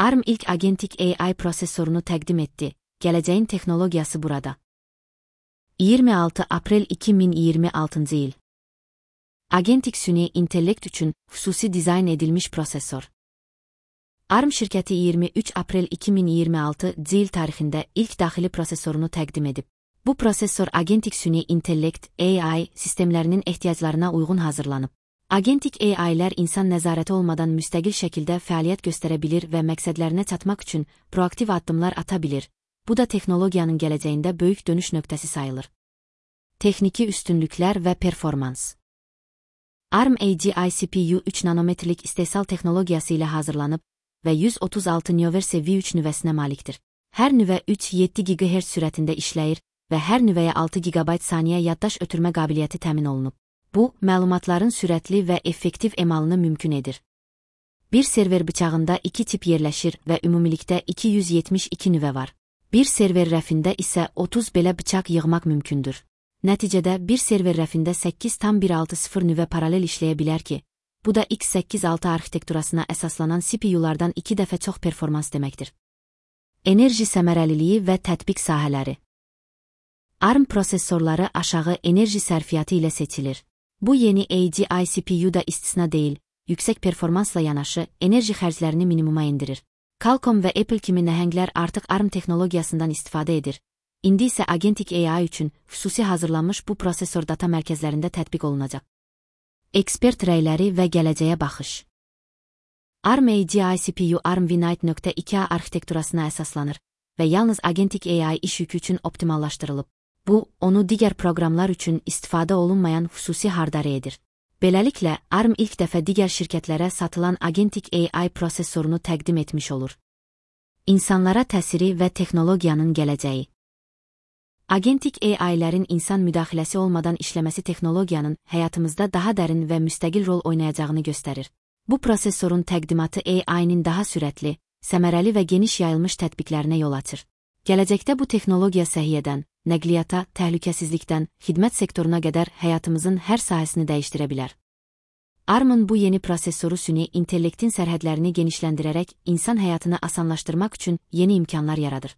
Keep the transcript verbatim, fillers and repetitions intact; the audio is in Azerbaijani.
ARM ilk agentik A I prosesorunu təqdim etdi. Gələcəyin texnologiyası burada. iyirmi altı aprel iki min iyirmi altıncı il. Agentik süni intellekt üçün xüsusi dizayn edilmiş prosesor. ARM şirkəti iyirmi üç aprel iki min iyirmi altıncı il tarixində ilk daxili prosesorunu təqdim edib. Bu prosesor agentik süni intellekt A I sistemlərinin ehtiyaclarına uyğun hazırlanıb. Agentik A I'lər insan nəzarəti olmadan müstəqil şəkildə fəaliyyət göstərə bilir və məqsədlərinə çatmaq üçün proaktiv addımlar ata bilir. Bu da texnologiyanın gələcəyində böyük dönüş nöqtəsi sayılır. Texniki üstünlüklər və performans. ARM A G I C P U üç nanometrlik istehsal texnologiyası ilə hazırlanıb və yüz otuz altı növrəsi V üç nüvəsinə malikdir. Hər nüvə üç yeddi gigahertz sürətində işləyir və hər nüvəyə altı gigabayt saniyə yaddaş ötürmə qabiliyyəti təmin olunub. Bu, məlumatların sürətli və effektiv emalını mümkün edir. Bir server bıçağında iki tip yerləşir və ümumilikdə iki yüz yetmiş iki nüvə var. Bir server rəfində isə otuz belə bıçaq yığmaq mümkündür. Nəticədə bir server rəfində səkkiz tam bir altı sıfır nüvə paralel işləyə bilər ki, bu da x səkkiz altı arxitekturasına əsaslanan C P U'lardan iki dəfə çox performans deməkdir. Enerji səmərəliliyi və tətbiq sahələri. ARM prosesorları aşağı enerji sərfiyyatı ilə seçilir. Bu yeni A G I C P U da istisna deyil, yüksək performansla yanaşı enerji xərclərini minimuma endirir. Qualcomm və Apple kimi nəhənglər artıq ARM texnologiyasından istifadə edir. İndi isə agentik A I üçün xüsusi hazırlanmış bu prosesor data mərkəzlərində tətbiq olunacaq. Ekspert rəyləri və gələcəyə baxış. ARM A G I C P U ARM Vinite nöqtə iki A arxitekturasına əsaslanır və yalnız agentik A I iş yükü üçün optimallaşdırılıb. Bu, onu digər proqramlar üçün istifadə olunmayan xüsusi hardware edir. Beləliklə, ARM ilk dəfə digər şirkətlərə satılan agentik A I prosesorunu təqdim etmiş olur. İnsanlara təsiri və texnologiyanın gələcəyi. Agentik A I'lərin insan müdaxiləsi olmadan işləməsi texnologiyanın həyatımızda daha dərin və müstəqil rol oynayacağını göstərir. Bu prosesorun təqdimatı A I'nin daha sürətli, səmərəli və geniş yayılmış tətbiqlərinə yol açır. Gələcəkdə bu texnologiya səhiyyədən, nəqliyyata, təhlükəsizlikdən, xidmət sektoruna qədər həyatımızın hər sahəsini dəyişdirə bilər. ARM'ın bu yeni prosesoru süni intellektin sərhədlərini genişləndirərək insan həyatını asanlaşdırmaq üçün yeni imkanlar yaradır.